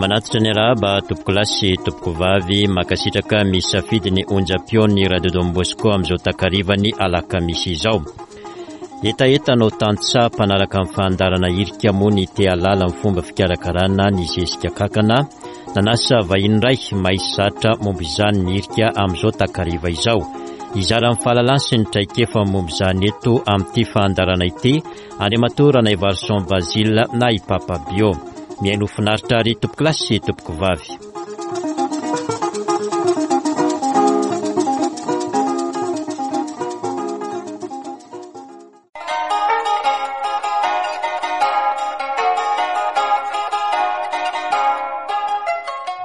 Manatitra ny arahaba tompokolahy sy tompokovavy, mankasitraka misafidy ny onjam-peon'ny Radio Don Bosco amin'izao takarivan'ny alakamisy izao. Hetaheta anao tantsaha mpanaraka ny fandaharana hirika moa ny te hahalala ny fomba fikarakarana ny zezika kankana. Nanasa vahiny iray mahay zatra momba izany ny hirika amin'izao takariva izao. Hizara ny fahalalany sy ny traikefa momba izany eto amin'ity fandaharana ity Andriamatoa Ranaivarison Basile na i Papa Bio. Mihainoa finaritra ary tompokolahy sy tompokovavy.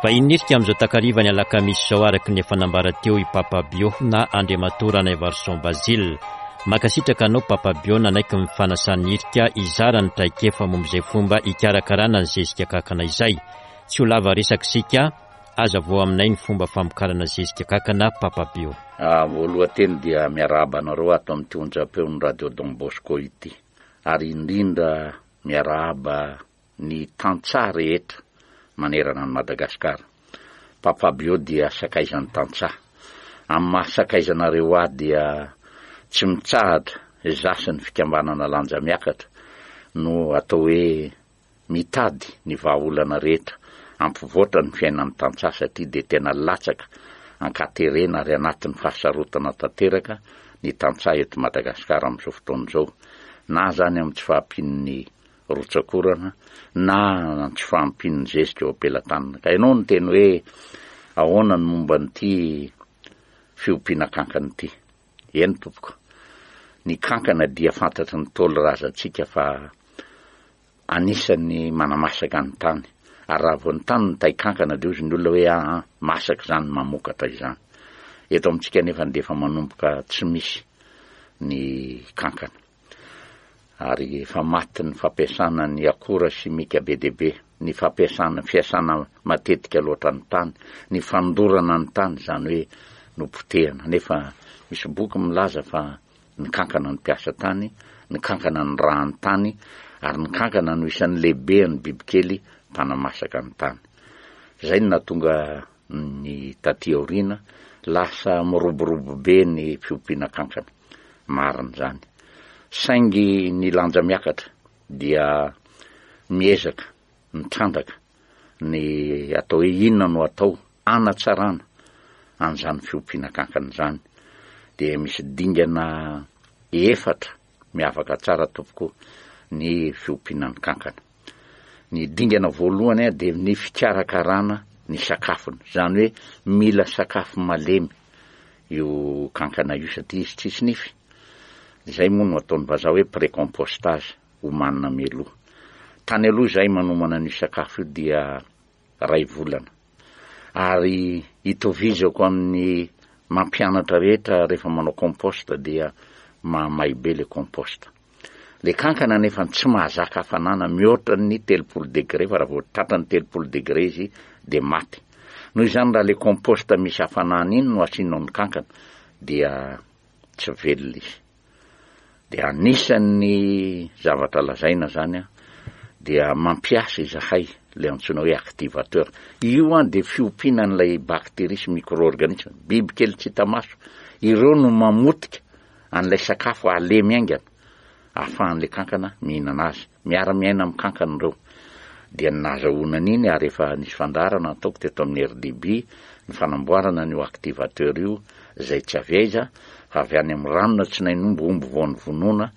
Vahiny nirika amin'izao takariva ny alakamisy izao araka ny efa nambara teo i Papa Bio na Andriamatoa Ranaivarison Basile. Mankasitraka anao Papa Bio nanaiky ny fanasan'ny hirika hizara ny traikefa momba izay fomba hikarakarana ny zezika kakana izay. Tsy ho lava resaka isika, Hazavao aminay ny fomba famokarana zezika kakana Papa Bio. Voalohan-teny dia miarahaba anareo ato amin'ity onjam-peon'ny Radio Don Bosco ity ary indrindra miarahaba ny tantsaha rehetra manerana an'i Madagasikara. Papa Bio dia sakaizan'ny tantsaha. Amin'ny maha sakaizanareo ahy dia tsy mitsahatra izaho sy ny fikambanana Lanja Miakatra no atao hoe mitady ny vahaolana rehetra hampivoatra ny fiainan'ny tantsaha satria dia tena latsaka ankaterena ary anatin'ny fahasarotana tanteraka ny tantsaha eto Madagasikara amin'izao fotoana izao na izany amin'ny tsy fahampian'ny rotsak'orana na ny tsy fahampian'ny zezika eo am-pelatanana. Ka ianao niteny hoe ahoana ny momba an'ity fiompiana kankana ity? Eny tompoko, ny kankana dia fantatry ny Ntaolo razantsika fa anisan'ny manamasaka ny tany, ary raha vao ny tany no tay kankana dia hozy ny olona hoe aa masaka izany mamokatra izany. Eto amintsika anefa dia efa manomboka tsy misy ny kankana. Ary efa maty ny fampiasana ny akora simika be dia be, ny fampiasana, fiasana matetika loatra ny tany, ny fandorana ny tany, izany hoe nopotehana. Nefa misy boky milaza fa ny kankana no mpiasa tany, ny kankana no rahan'ny tany, ary ny kankana no isan'ny lehibean'ny bibikely mpanamasaka ny tany. Izay no nahatonga ny taty aoriana, lasa miroborobo be ny fiompiana kankana. Marina izany. Saingy ny lanja miakatra dia miezaka mitrandraka ny atao hoe inona no atao hanatsarana an'izany fiompiana kankana izany. Dia misy dingana efatra miavaka tsara tompoko ny fiompiana ny kankana. Ny dingana voalohany dia ny fikarakarana ny sakafony, izany hoe mila sakafo malemy io kankana io satria izy tsisy nify. Izay moa no ataon'ny vazaha hoe précompostage, omanina mialoha. Tany aloha izahay manomana an'io sakafo io dia ray volana. Ary itovizako amin'ny mampianatra rehetra rehefa manao compost dia mahamay be le compost. Le kankana anefa tsy mahazaka hafanana mihoatra ny 30 degré fa raha vao tratran'ny 30 degré izy dia maty. Noho izany raha le compost misy hafanana iny no asianao ny kankana dia tsy velona izy. Dia anisan'ny zavatra lazaina zany an, dia mampiasa izahay le antsoina hoe activateur. Io an dia fiompiana an'ilay bactérie sy micro-organisme, biby kely tsy hita maso. Ireo no mamotika an'ilay sakafo halemy haingana ahafahan'ilay kankana mihinana azy. Miara-miaina amin'ny kankana ireo. Dia ny nahazahoana an'iny ary efa nisy fandaharana nataoko teto amin'ny RDB ny fanamboarana an'io activateur io izay tsy avy aiza fa avy any amin'ny ranona tsinainomby omby vao novonoina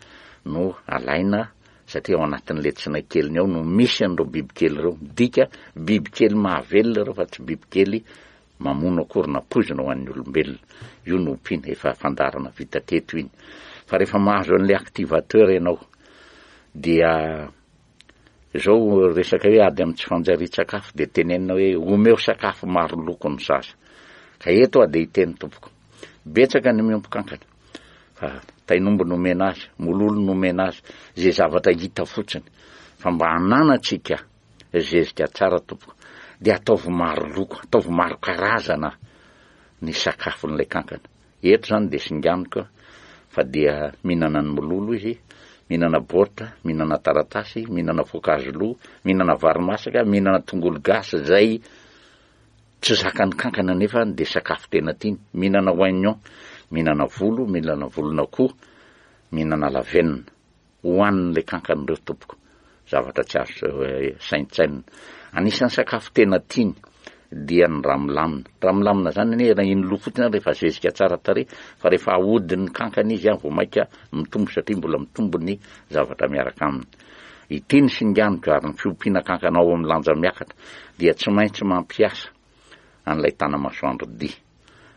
no alaina satria ao anatin'ilay tsinay keliny ao no misy an'ireo bibikely ireo. Midika bibikely mahavelona ireo fa tsy bibikely mamono akory na poizina ho an'ny olombelona. Io no ompiana, efa fandaharana vita teto iny. Fa rehefa mahazo an'ilay activateur ianao dia izao resaka hoe ady amin'ny tsy fanjarian-tsakafo dia tenenina hoe omeo sakafo maro loko ny zaza. Ka eto aho dia hiteny tompoko, betsaka ny miompy kankana fa tain'omby no omena azy, mololo no omena azy, izay zavatra hita fotsiny fa mba hananantsika Zezika tsara tompoko. Dia ataovy maro loko, ataovy maro karazana ny sakafon'ilay kankana. Eto izany dia singaniko fa dia mihinana ny mololo izy, Mihinana baoritra, mihinana taratasy, mihinana voankazo lo, mihinana vary masaka, mihinana tongolo gasy izay tsy zakan'ny kankana nefa dia sakafo tena tiany, mihinana oignon, mihinana volo, mihinana volon'akoho, mihinana lavenona. Hohanin'ilay kankana ireo tompoko. Zavatra tsy azo saintsainina. Anisan'ny sakafo tena tiany dia ny ramilamina. Ramilamina zany anie raha iny loha fotsiny ary efa zezika tsara tarehy fa rehefa ahodin'ny kankana izy vao mainka mitombo satria mbola mitombo ny zavatra miaraka aminy. Ity ny singaniko ary ny fiompiana kankana ao amin'ny lanja miakatra dia tsy maintsy mampiasa an'ilay tanamasoandro dia.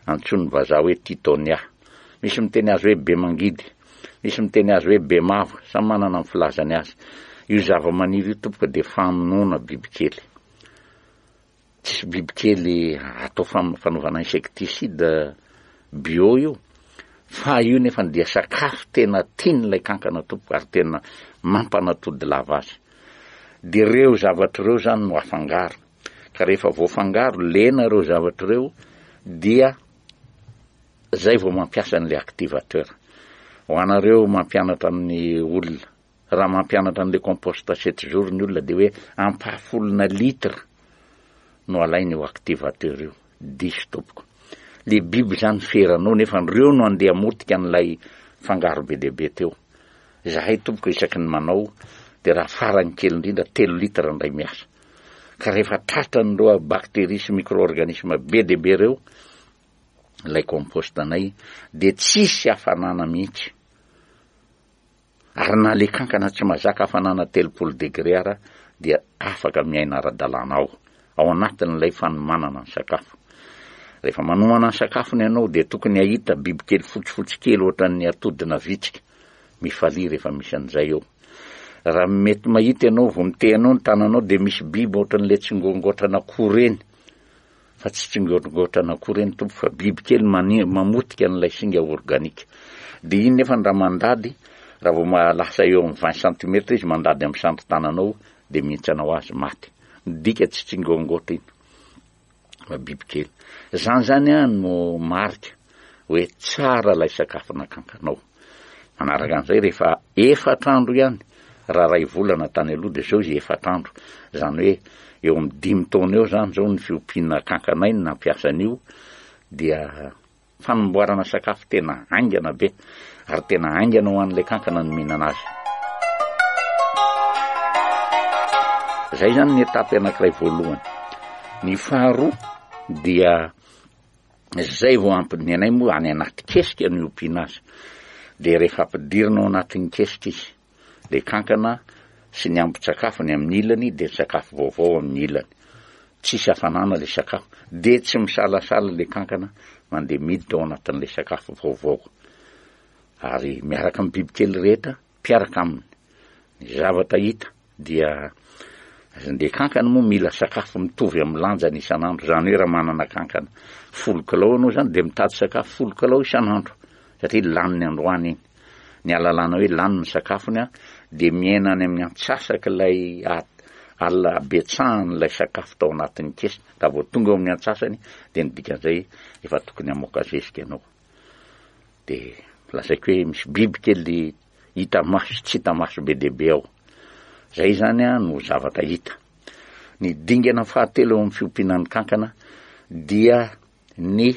Antsoin'ny vazaha hoe Tithonia. Misy miteny azy hoe Bemangidy. Misy miteny azy hoe Bemavo. Samy manana ny filazany azy. Io zavamaniry io tompoko dia famonoana bibikely. Tsisy bibikely atao fanaovana insecticide bio io. Fa io nefa dia sakafo tena tian'ilay kankana tompoko ary tena mampanatody lava azy. Dia ireo zavatra ireo izany no afangaro. Ka rehefa voafangaro, lena ireo zavatra ireo dia zay vao mampiasa an'ilay activateur. Ho anareo mampianatra amin'ny olona, raha mampianatra an'ilay compost sept jours ny olona dia hoe ampahafolona litre no alaina io activateur io. Diso tompoko. Le biby zany feranao nefa ireo no andeha hamotika an'ilay fangaro be dia be teo. Izahay tompoko isaky ny manao dia raha farany kely indrindra telo litre indray miasa. Ka rehefa tratran'ireo bactéries sy micro-organismes be dia be ireo ilay compost anay dia tsisy hafanana mihitsy. Ary na le kankana tsy mazaka hafanana 30 degré ara dia afaka miaina ara-dalàna ao, ao anatin'ilay fanomanana ny sakafo. Rehefa manomana ny sakafony ianao dia tokony hahita bibikely fotsifotsy kely ohatran'ny atodina vitsika. Mifalia rehefa misy an'izay eo. Raha mety mahita ianao vao mitehanao ny tananao dia misy biby ohatran'ilay tsingoangoatran'akoho ireny. Fa tsy tsingoangoatran'akoho ireny tompo fa biby kely mamotika an'ilay singa organika. Dia iny nefa raha mandady, raha vao lasa eo amin'ny 20 centimètres izy mandady amin'ny sandrin-tananao dia mihintsana ho azy maty. Midika tsy tsingoangoatra iny. fa bibikely. Zany zany an no marika hoe tsara ilay sakafo nakankanao. Manaraka an'izay rehefa efatra andro ihany, raha ray volana tany aloha dia zao izy efatra andro. Zany hoe eo amin'ny dimy taona eo zany zao ny fiompiana kankanay no nampiasa an'io dia Fanamboarana sakafo tena haingana be ary tena haingana ho an'ilay kankana ny mihinana azy. Izay izany ny étape anankiray voalohany. Ny faharoa dia izay vao ampy ny anay moa any anaty kesika no iompiana azy. Dia rehefa ampidirina ao anatin'ny kesika izy, Ilay kankana sy ny ambin-tsakafony amin'ny ilany dia ny sakafo vaovao amin'ny ilany. Tsisy hafanana ilay sakafo. Dia tsy misalasala ilay kankana mandeha miditra ao anatin'ilay sakafo vaovao. Ary miaraka amin'ny bibikely rehetra mpiaraka aminy. Ny zavatra hita dia ilay kankana moa mila sakafo mitovy amin'ny lanjany isan'andro. Izany hoe raha manana kankana folo kilao ianao izany dia mitady sakafo folo kilao isan'andro satria laniny androany iny. Ny ahalalana hoe lany ny sakafony dia miaina any amin'ny antsasak'ilay habetsahan'ilay sakafo tao anatin'ny kesy. Raha vao tonga eo amin'ny antsasany dia ny dikan'izay efa tokony hamoaka zezika ianao. Dia lazaiko hoe misy biby kely hita maso sy tsy hita maso be dia be ao. Izay izany no zavatra hita. Ny dingana fahatelo eo amin'ny fiompiana ny kankana dia ny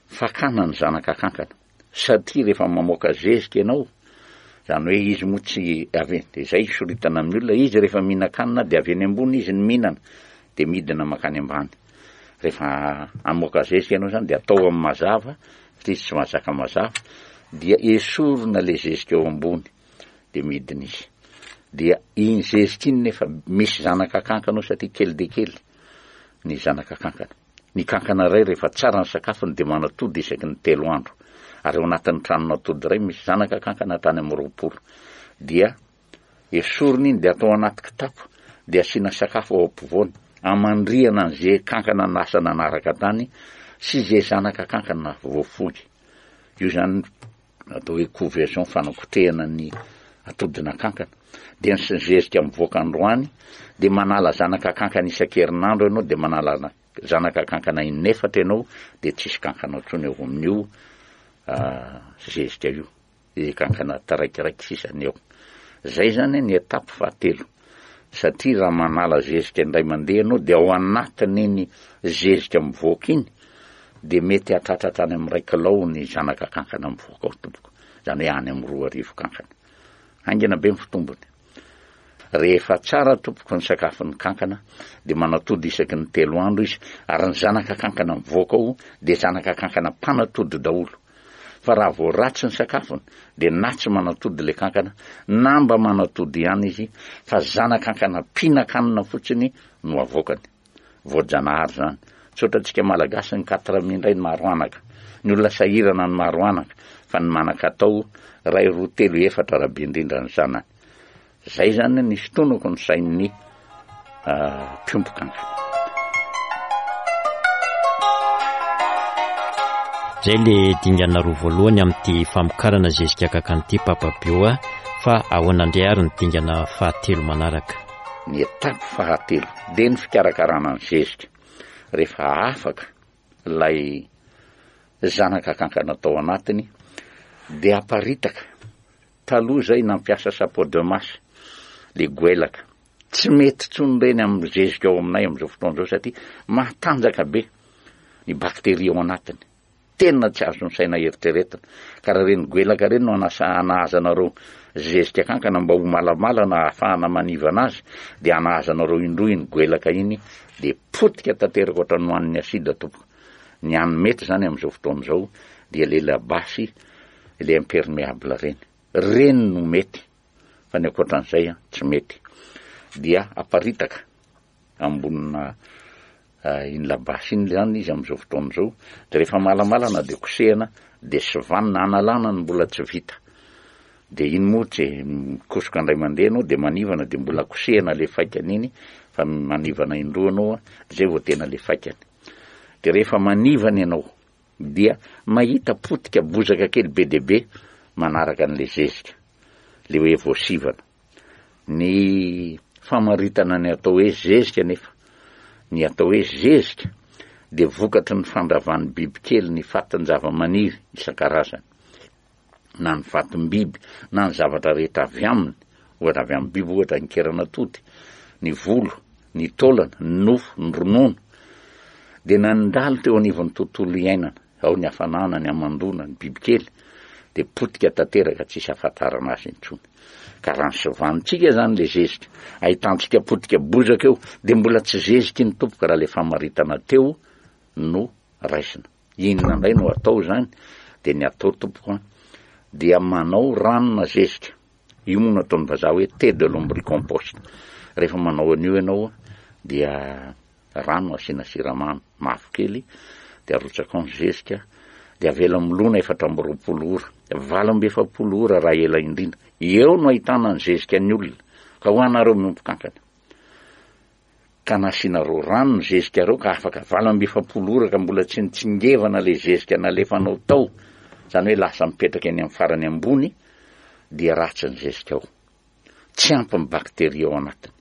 fakana ny zanaka kankana. Satria rehefa mamoaka zezika ianao, izany hoe izy moa tsy avy, dia izay soritana amin'ny olona, izy rehefa mihinan-kanina dia avy eny ambony izy no mihinana, dia midina mankany ambany. Rehefa hamoaka zezika ianao izany dia atao amin'ny mazava, satria izy tsy mahazaka mazava, dia esorina ilay zezika eo ambony, dia midina izy. Dia iny zezika iny nefa misy zanaka kankana ao satria kely dia kely ny zanaka kankana. Ny kankana iray rehefa tsara ny sakafony dia manatody isaky ny telo andro. Ary ao anatin'ny tranon'atody iray misy zanaka kankana hatrany amin'ny 20. Dia esorina iny dia atao anaty kitapo dia asiana sakafo ao ampovoany. Amandrihana an'izay kankana lasa nanaraka tany sy izay zanaka kankana voafoy. Io izany atao hoe couvaison fanakotrehana ny atodina kankana. Dia ny zezika mivoaka androany dia manala zanaka kankana isan-kerinandro ianao dia manala zanaka kankana inefatra ianao dia tsisy kankana intsony eo amin'io zezika io. Dia kankana taraikiraiky sisa ny eo. Zay zany ny étape fahatelo. Satria raha manala zezika indray mandeha ianao dia ao anatin'iny zezika mivoaka iny dia mety hahatratra hatrany amin'ny iray kilao ny zanaka kankana mivoaka ao tompoko. Izany hoe any amin'ny 2000 kankana. Haingana be ny fitombony. Rehefa tsara tompoko ny sakafon'ny kankana dia manatody isaky ny telo andro izy ary ny zanaka kankana mivoaka ao dia zanaka kankana mpanatody daholo. Fa raha vao ratsy ny sakafony dia na tsy manatody ilay kankana na mba manatody ihany izy fa zana-kankana mpihinan-kanina fotsiny no avoakany. Voajanahary izany. Tsy ohatrantsika Malagasy ny quatre mille indray ny maro anaka. Ny olona sahirana ny maro anaka fa ny manan-katao iray roa telo efatra raha be indrindra ny zanany. Zay zany ny fitonako ny sain'ny mpiompy kankana. Zay le dingana roa voalohany amin'ity famokarana zezika kankana ity Papa Bio a, fa ahoana indray ary ny dingana fahatelo manaraka? Ny étape fahatelo dia ny fikarakarana ny zezika. Rehefa afaka ilay zanaka kankana tao anatiny dia aparitaka Taloha zay nampiasa chapeau de masse le goelaka. Tsy mety tsony reny amin'ny zezika ao aminay amin'izao fotoana izao satria matanjaka be ny bacterie ao anatiny. Tena tsy azon'ny saina eritreretina. Ka raha ireny goelaka ireny no anasa anahazanareo zezika kankana mba ho malamalana ahafahana manivana azy dia anahazanareo indroa iny goelaka iny dia potika tanteraka ohatran'ny nohanin'ny acide tompoko. Ny hany mety izany amin'izao fotoana izao dia le labasy le impermeable reny, reny no mety fa ny ankoatran'izay an tsy mety, dia aparitaka ambonina iny labasy iny zany izy amin'izao fotoana izao, de rehefa malamalana de kosehana de sivanina analana ny mbola tsy vita, de iny moa tsy mikosoka indray mandeha anao de manivana de mbola kosehana le faikany iny fa manivana indroa anao an, zay vao tena le faikany, de rehefa manivana ianao dia mahita potika bozaka kely be dia be manaraka an'ilay zezika, ilay hoe voasivana. Ny famaritana ny atao hoe zezika anefa, ny atao hoe zezika dia vokatry ny fandravan'ny bibikely ny fatin-javamaniry isan-karazany. na ny vatom-biby na ny zavatra rehetra avy aminy, ohatra avy amin'ny biby ohatra ny keran'atody, ny volo, ny taolana, ny nofo, ny ronono, dia nandalo teo anivon'ny tontolo iainana, ao ny hafanana, ny hamandoana, ny bibikely, dia potika tanteraka tsisy ahafantarana azy intsony. Ka raha ny sovanintsika izany le zezika, ahitantsika potika bozaka eo, dia mbola tsy zeziky ny tompoko raha le famaritana teo no raisina. Inona indray no atao izany? Dia ny atao tompoko an, dia manao ranona zezika. Io moa no ataon'ny vazaha hoe thé de lombricompost. Rehefa manao an'io ianao dia rano asiana siramamy mavokely dia arotsaka ao ny zezika dia avela milona 24 ora, 48 ora raha ela indrindra. Eo no ahitana ny zezika ny olona. Ka ho anareo miompy kankana. Ka nasianareo rano ny zezikareo ka afaka 48 ora ka mbola tsy nitsingevana le zezika nalefanao tao, zany hoe lasa mipetraka eny amin'ny farany ambony dia ratsy ny zezika ao. Tsy ampy ny bacterie ao anatiny.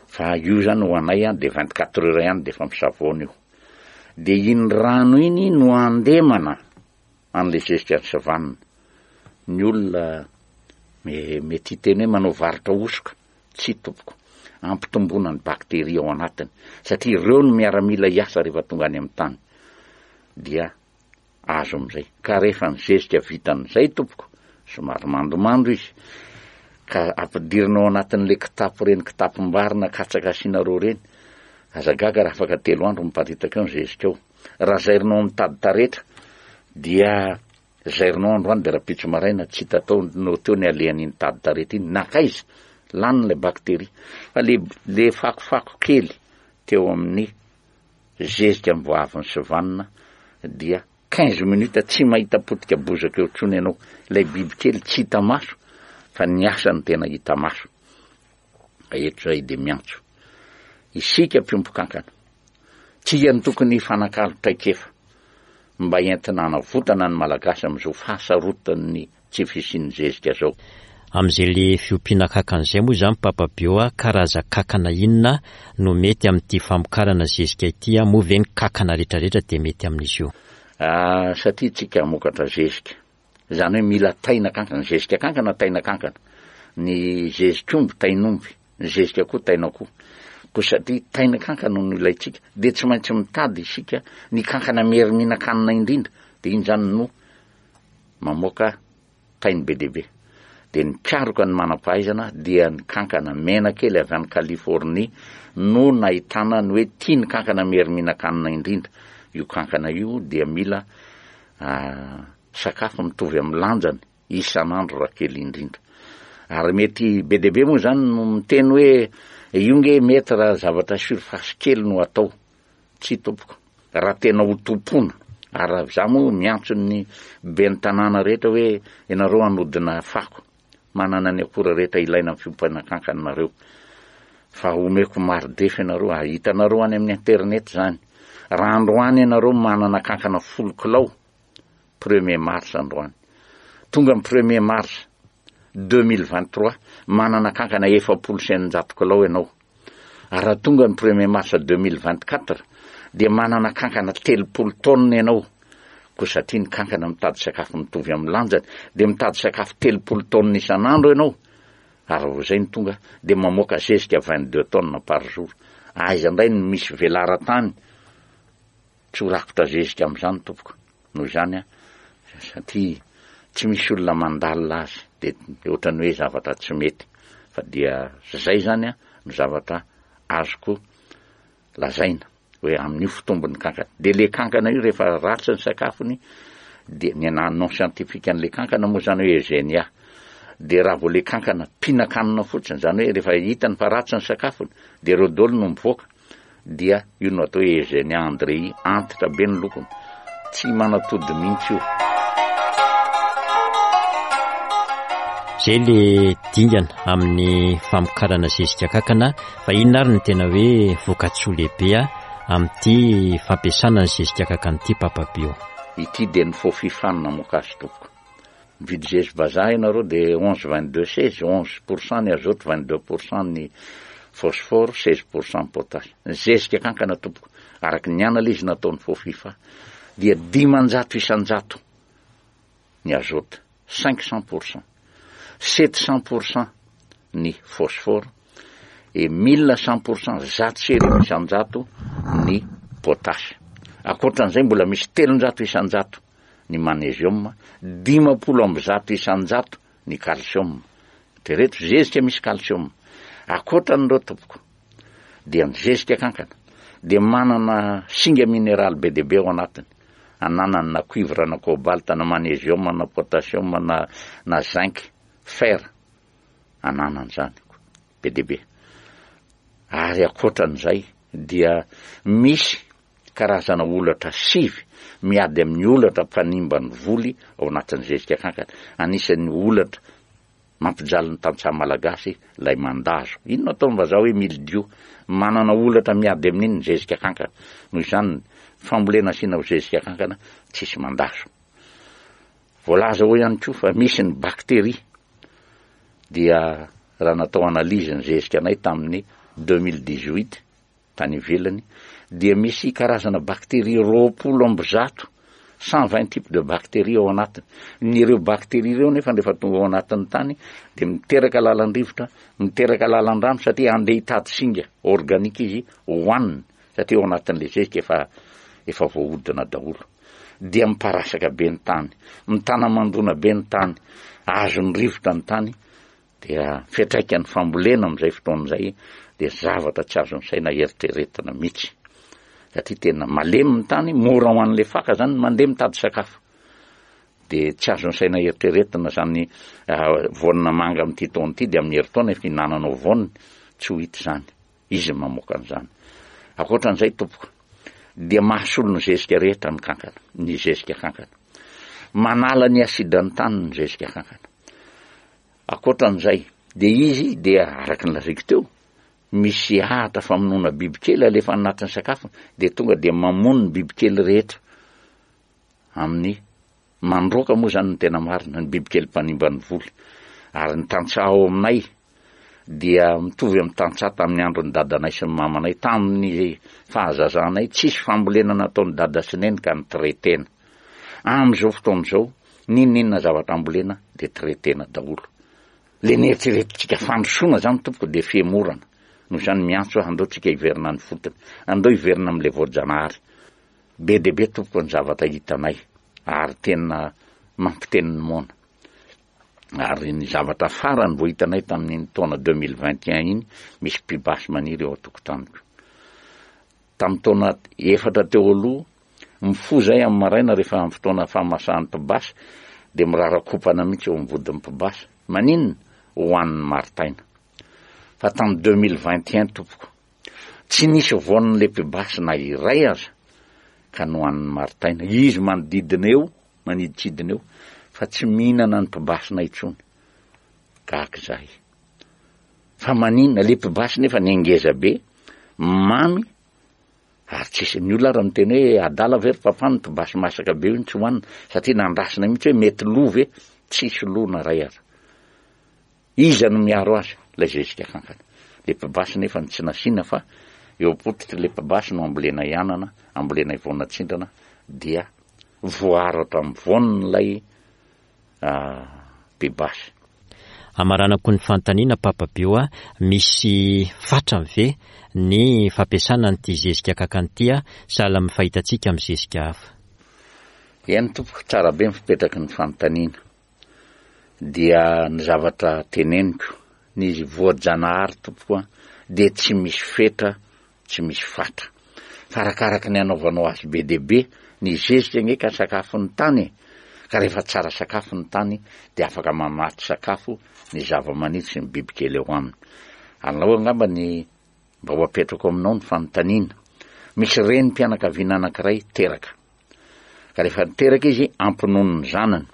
Fa io zany ho anay an de 24 heures ihany de efa misavoana io. De iny rano iny no andemana an'le zezika ny savanina. Ny olona mety hiteny hoe manao varotra hosoka. Tsia tompoko. Ampitomboina ny bakteria ao anatiny satria ireo no miaramila hiasa rehefa tonga any amin'ny tany. Dia azo amin'izay. Ka rehefa ny zezika vita amin'izay tompoko, somary mandomando izy, ka ampidirina ao anatin'ilay kitapo ireny kitapom-bary na katsaka asianareo ireny, aza gaga raha afaka telo andro miparitaka eo ny zezika ao. Raha zairinao amin'ny tady taretra dia Zairinao androany dia rahampitso maraina tsy hita tao no teo ny alehan'iny tady tarety iny, nankaiza? Lany ilay bacterie. Fa le le fakofako kely teo amin'ny zezika vao avy nisivanina dia 15 minutes tsy mahita potika bozaka eo intsony ianao. Ilay bibikely tsy hita maso fa ny asany tena hita maso. Eto izay dia miantso isika mpiompy kankana. Tsika no tokony hifanakalo traikefa mba entina hanavotana ny Malagasy amin'izao fahasarotan'ny tsy fisian'ny zezika izao. Amin'izay le fiompiana kankana izay moa izany Papa Bio a, karaza-kankana inona no mety amin'ity famokarana zezika ity a, moa ve ny kankana retraretra dia mety amin'izy io? Ah, satria tsika hamokatra zezika, izany hoe mila taina kankana, zezika kankana, taina kankana. Ny zezik'omby tain'omby, ny zezik'akoho tain'akoho. Koa satria taina kankana no ilaintsika, dia tsy maintsy mitady isika ny kankana mery mihinan-kanina indrindra, dia iny izany no mamoaka tainy be dia be. Dia nikaroka ny manam-pahaizana dia ny kankana mena kely avy any Californie no nahitana ny hoe tia ny kankana mery mihinan-kanina indrindra. Io kankana io dia mila sakafo mitovy amin'ny lanjany isan'andro raha kely indrindra. Ary mety be dia be moa izany no miteny hoe io nge mety raha zavatra surface kely no atao. Tsia tompoko, raha tena ho tompoina, ary raha za moa miantso ny ben'ny tanàna rehetra hoe ianareo hanodina fako, manana ny akora rehetra ilaina amin'ny fiompiana kankana nareo, fa omeko mari-drefy ianareo, ary hitanareo any amin'ny internet izany, raha androany ianareo manana kankana folo kilao, premier mars androany, tonga ny premier mars 2023, manana kankana 640 kilao ianao, Ary raha tonga ny premier mars 2024 dia manana kankana 30 tonnes ianao. Koa satria ny kankana mitady sakafo mitovy amin'ny lanjany dia mitady sakafo 30 tonnes isan'andro ianao. Ary vao izay no tonga dia mamoaka zezika 22 tonnes par jour. Aiza indray no misy velaran-tany Tsy ho rakotra zezika amin'izany tompoko. Noho izany an, satria tsy misy olona mandalina azy dia ohatran'ny hoe zavatra tsy mety. Fa dia izay izany an no zavatra azoko lazaina hoe amin'io fitombon'ny kankana. Dia le kankana io rehefa ratsy ny sakafony dia ny ana nom scientifique an'le kankana moa izany hoe Eugenia. Dia raha vao le kankana mpihinan-kanina fotsiny, izany hoe rehefa hitany fa ratsy ny sakafony dia ireo daholo no mivoaka. dia io no atao hoe Eugenia Andrei, antitra be ny lokony, tsy manatody mihitsy io. Zay le dingana amin'ny famokarana zezika kakana, fa inona ary no tena hoe vokatsoa lehibe amin'ity fampiasana ny zezika kakana ity Papa Bio? Ity dia ny faux-fifan namoaka azy tompoko. Mividy zezi vazaha ianareo dia 11 22 16, 11 pour cent ny azote, 22 pour cent ny phosphore, 16 pour cent ny potasse. Ny zezika kankana tompoko, araka ny analyse nataon'ny Fofifa dia 500 isan-jato ny azote, 500 pour cent, 700 pour cent ny phosphore et 1100 pour cent, 1100 isan-jato ny potasse. Ankoatran'izay mbola misy 300 isan-jato ny magnesium, 150% ny calcium. Eritrereto, zezika misy calcium. Ankoatran'ireo tompoko, dia ny zezika kankana dia manana singa mineraly be dia be ao anatiny. Ananany na cuivre na cobalt na magnesium na potassium na na zinc, fer. Ananany izany be dia be. Ary ankoatran'izay dia misy Karazana holatra sivy miady amin'ny holatra mpanimba ny voly ao anatin'ny zezika kankana. Anisan'ny holatra mampijaly ny tantsaha malagasy ilay mandazo. Inona ataon'ny vazaha hoe mildiou? Manana holatra miady amin'iny ny zezika kankana. Noho izany, ny fambolena asiana zezika kankana tsisy mandazo. Voalaza ao ihany koa fa misy ny bakteria dia raha natao analyse ny zezika anay tamin'ny 2018 tany ivelany dia misy karazana bacterie 120, 120 types de bacterie ao anatiny. Ny ireo bacterie ireo nefa rehefa tonga ao anatin'ny tany dia miteraka lalan-drivotra, miteraka lalan-drano satria handeha hitady singa organique izy hohaniny satria ao anatin'ilay zezika efa efa voahodina daholo. Dia miparasaka be ny tany, mitana mandona be ny tany, azon'ny rivotra ny tany Dia fiantraikan'ny fambolena amin'izay fotoana izay dia zavatra tsy azon'ny saina eritreretina mihitsy. Satria tena malemy ny tany, mora ho an'ilay faka zany ny mandeha mitady sakafo. Dia tsy azon'ny saina eritreretina zany voanina manga amin'ity taona ity dia amin'ny herintaona efa hinananao voaniny, tsy ho hita izany. Izy no mamoaka an'izany. Ankoatran'izay tompoko, dia mahasolo ny zezika rehetra ny kankana, ny zezika kankana. Manala ny asidran'ny tany ny zezika kankana. Ankoatran'izay, dia izy dia araka ny lazaiko teo, misy ahatra famonoana bibikely alefa anatin'ny sakafony, dia tonga dia mamono ny bibikely rehetra amin'ny mandroaka moa izany ny tena marina, ny bibikely mpanimba ny voly. Ary ny tantsaha ao aminay dia mitovy amin'ny tantsaha tamin'ny andron'ny dadanay sy ny mamanay, tamin'ny fahazazanay, tsisy fambolena nataon'i dada sy neny ka ni-traiter-na. Amin'izao fotoana izao, n'inon'inona zavatra ambolena dia traiter-na daholo. Le neritreretintsika fandrosoana zany tompoko dia fihemorana. Noho izany miantso aho andao tsika hiverina any fotony. Andao hiverina amin'ilay voajanahary. Be dia be tompoko ny zavatra hitanay ary tena mampiteny ny moana. Ary ny zavatra farany vao hitanay tamin'iny taona 2021 iny, misy pibasy maniry eo an-tokotaniko. Tamin'ny taona efatra teo aloha, mifoha izahay amin'ny maraina rehefa amin'ny fotoana fahamasahan'ny mpibasy dia mirarakopana mihitsy eo amin'ny vodin'ny mpibasy. Maninona? Hohanin'ny maritaina. Fa tamin'ny 2021 tompoko, tsy nisy voan'ilay mpibasy na iray aza ka nohanin'ny maritaina. Izy manodidina eo, manidintsidina eo, fa tsy mihinana ny mpibasina intsony. Gaga izahay. Fa maninona? Le mpibasy nefa ny ngeza be, mamy, ary tsisy, ny olona ary miteny hoe adala ve ry papa ny mpibasy masaka be io no tsy hohanina, satria nandrasina mihitsy hoe mety lo ve, tsisy lo na ray aza. Iza no miaro azy? Ilay zezika kankana. Le mpibasy nefa ny tsy nasiana fa eo am-pototry le mpibasy no ambolenay anana, ambolenay voanatsindrana, dia voaaro hatramin'ny voan'ilay mpibasy. Amaranako ny fanontaniana Papa Bio a, misy fatrany ve ny fampiasana an'ity zezika kankana ity a, sahala amin'ny fahitantsika amin'ny zezika hafa? Eny tompoko, tsara be ny fipetraky ny fanontaniana. Dia ny zavatra teneniko, ny voajanahary tompoko a, dia tsy misy fetra tsy misy fatra. Fa arakaraky ny anaovanao azy be dia be, ny zezika ange ka sakafon'ny tany e! Ka rehefa tsara sakafo ny tany dia afaka mamatsy sakafo ny zavamaniry sy ny bibikely ao aminy. Alao angamba ny mba ho apetrako aminao ny fanontaniana. Misy renim-pianakaviana anankiray teraka. Ka rehefa niteraka izy, ampinono ny zanany.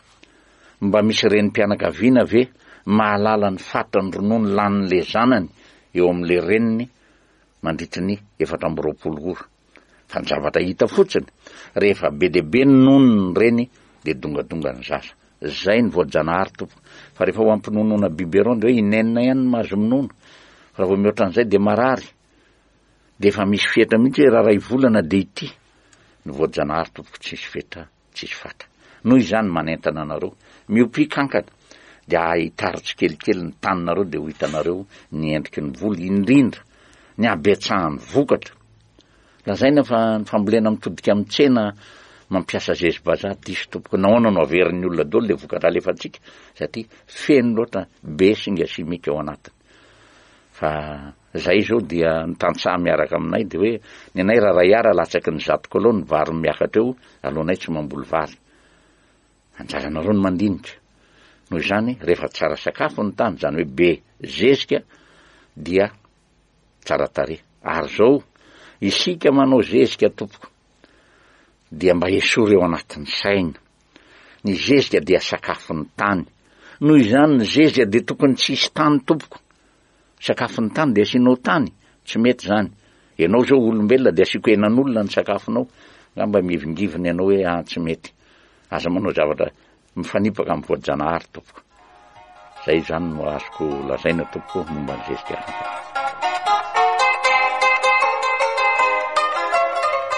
Mba misy renim-pianakaviana ve mahalala ny fatran'ny ronono lanin'ilay zanany eo amin'ilay reniny mandritry ny 24 ora. Fa ny zavatra hita fotsiny, rehefa be dia be ny nono ny reny dia dongadonga ny zaza. Zay ny voajanahary tompoko. Fa rehefa ho ampinonoana biberon dia hoe inenina ihany no mahazo minono. Fa raha vao mihoatra an'izay dia marary. Dia efa misy fetra mihitsy hoe raha iray volana dia ity. Ny voajanahary tompoko tsisy fetra. tsisy fatra. Noho izany manentana anareo, miopia kankana, dia ahitaro tsikelikely ny taninareo dia ho hitanareo ny endriky ny voly, indrindra ny habetsahan'ny vokatra. Lazaina fa ny fambolena mitodika amin'ny tsena mampiasa zezi-bazaha diso tompoko. Nahoana no averin'ny olona daholo ilay vokatra alefantsika? Satria feno loatra be singa simika ao anatiny. Fa zay zao dia ny tantsaha miaraka aminay dia hoe ny anay raha ray ara latsaky ny zato kilao ny vary miakatra eo alohanay tsy mamboly vary. Anjaranareo ny mandinika. Noho izany rehefa tsara sakafo ny tany, izany hoe be zezika dia tsara tarehy. Ary zao isika manao zezika tompoko dia mba esory eo anatin'ny saina. Ny zezika dia sakafon'ny tany. Noho izany ny zezika dia tokony tsy hisy tany tompoko. Sakafon'ny tany dia asianao tany? Tsy mety izany. Ianao izao olombelona dia asiako henan'olona ny sakafonao. Angamba mihevingivina ianao hoe ah tsy mety. Aza manao zavatra mifanipaka amin'ny voajanahary tompoko. Zay izany no azoko lazaina tompoko momba ny zezika kankana.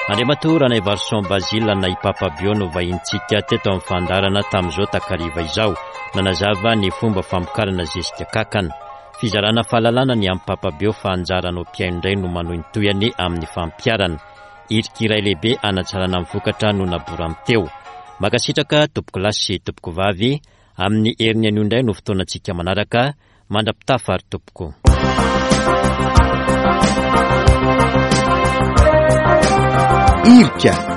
Andriamatoa Ranaivarison Basile na i Papa Bio no vahintsika teto amin'ny fandaharana tamin'izao takariva izao. Nanazava ny fomba famokarana zezika kakana. Fizarana fahalalana ny amin'i Papa Bio fa anjaranao mpihaino indray no manohy ny tohiny amin'ny fampiharana. Hirika iray lehibe hanatsarana ny vokatra no naborany teo. Mankasitraka tompokolahy sy tompokovavy. Amin'ny heriny anio indray no fotoanantsika manaraka. Mandra-pitafa ary tompoko. Irika.